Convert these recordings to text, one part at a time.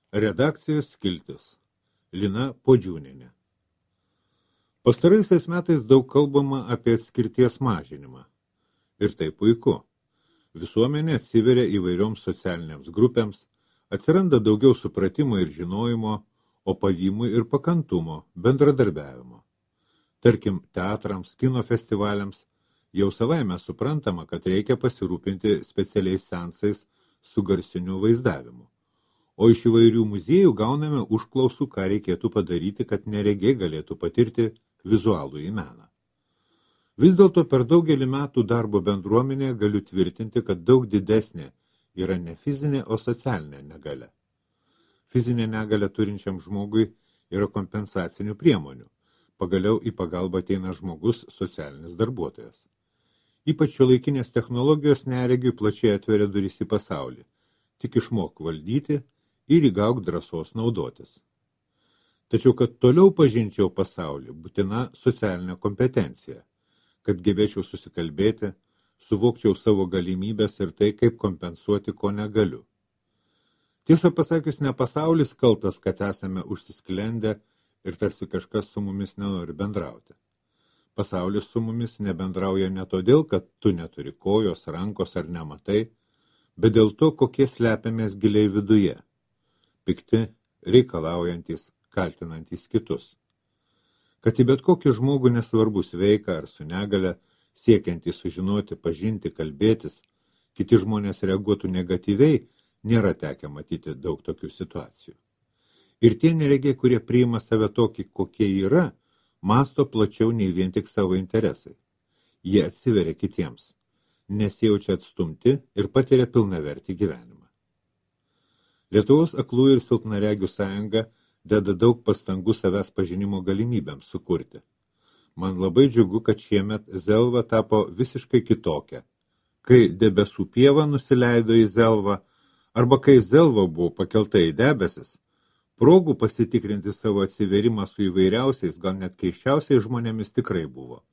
Redakcijos skiltis. Lina Podžiūnienė. Pastaraisiais metais daug kalbama apie atskirties mažinimą. Ir tai puiku. Visuomenė atsiveria įvairioms socialinėms grupėms, atsiranda daugiau supratimo ir žinojimo, o pavymui ir pakantumo, bendradarbiavimo. Tarkim, teatrams, kino festivaliams jau savaime suprantama, kad reikia pasirūpinti specialiais seansais su garsiniu vaizdavimu. O iš įvairių muziejų gauname užklausų, ką reikėtų padaryti, kad neregiai galėtų patirti vizualų į meną. Vis dėlto per daugelį metų darbo bendruomenėje galiu tvirtinti, kad daug didesnė yra ne fizinė, o socialinė negalia. Fizinė negalia turinčiam žmogui yra kompensacinių priemonių. Pagaliau į pagalbą ateina žmogus, socialinis darbuotojas. Ypač šiuolaikinės technologijos neregiui plačiai atveria duris į pasaulį. Tik išmok valdyti ir įgauk drąsos naudotis. Tačiau, kad toliau pažinčiau pasaulį, būtina socialinė kompetencija, kad gebėčiau susikalbėti, suvokčiau savo galimybės ir tai, kaip kompensuoti, ko negaliu. Tiesą pasakius, ne pasaulis kaltas, kad esame užsisklendę ir tarsi kažkas su mumis nenori bendrauti. Pasaulis su mumis nebendrauja ne todėl, kad tu neturi kojos, rankos ar nematai, bet dėl to, kokie slepiamės giliai viduje. Pikti, reikalaujantis, kaltinantis kitus. Kad į bet kokį žmogų nesvarbu sveika ar su negale, siekiantys sužinoti, pažinti, kalbėtis, kiti žmonės reaguotų negatyviai, nėra tekę matyti daug tokių situacijų. Ir tie neregiai, kurie priima save tokį, kokie yra, masto plačiau nei vien tik savo interesai. Jie atsiveria kitiems, nesijaučia atstumti ir patiria pilnavertį gyvenimą. Lietuvos aklųjų ir silpnaregių sąjunga deda daug pastangų savęs pažinimo galimybėms sukurti. Man labai džiugu, kad šiemet Zelva tapo visiškai kitokia. Kai debesų pieva nusileido į Zelvą, arba kai Zelva buvo pakelta į debesis, progų pasitikrinti savo atsiverimą su įvairiausiais, gal net keisčiausiais žmonėmis tikrai buvo.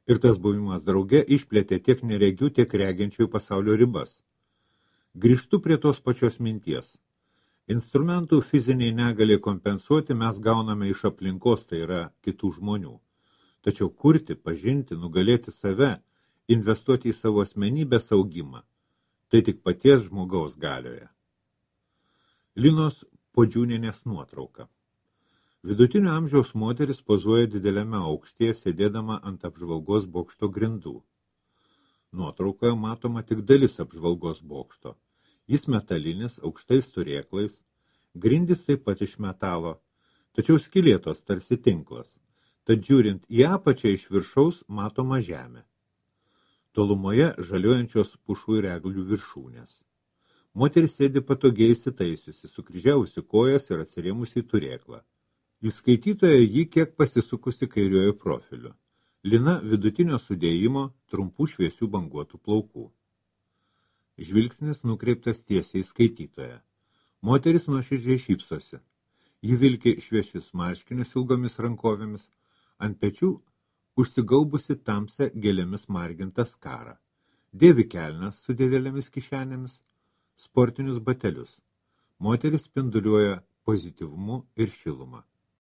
Ir tas buvimas drauge išplėtė tiek neregių, tiek regiančiųjų pasaulio ribas. Grįžtu prie tos pačios minties. Instrumentų fiziniai negaliai kompensuoti mes gauname iš aplinkos, tai yra kitų žmonių. Tačiau kurti, pažinti, nugalėti save, investuoti į savo asmenybės augimą, tai tik paties žmogaus galioje. Linos Podžiūnienės nuotrauka. Vidutinio amžiaus moteris pozuoja dideliame aukštyje, sėdėdama ant apžvalgos bokšto grindų. Nuotraukoje matoma tik dalis apžvalgos bokšto. Jis metalinis, aukštais turėklais, grindys taip pat iš metalo, tačiau skylėtos tarsi tinklas, tad žiūrint į apačią iš viršaus matoma žemė. Tolumoje žaliuojančios pušų ir eglių viršūnės. Moteris sėdi patogiai įsitaisiusi, sukryžiavusi kojas ir atsirėmusi į turėklą. Į skaitytoją jį kiek pasisukusi kairiuoju profiliu. Lina vidutinio sudėjimo, trumpų šviesių banguotų plaukų. Žvilgsnis nukreiptas tiesiai į skaitytoją. Moteris nuoširdžiai šypsosi. Ji vilki šviesius marškinius ilgomis rankovėmis, ant pečių užsigaubusi tamsią gėlėmis margintą skarą. Dėvi kelnes su didelėmis kišenėmis, sportinius batelius. Moteris spinduliuoja pozityvumu ir šilumą.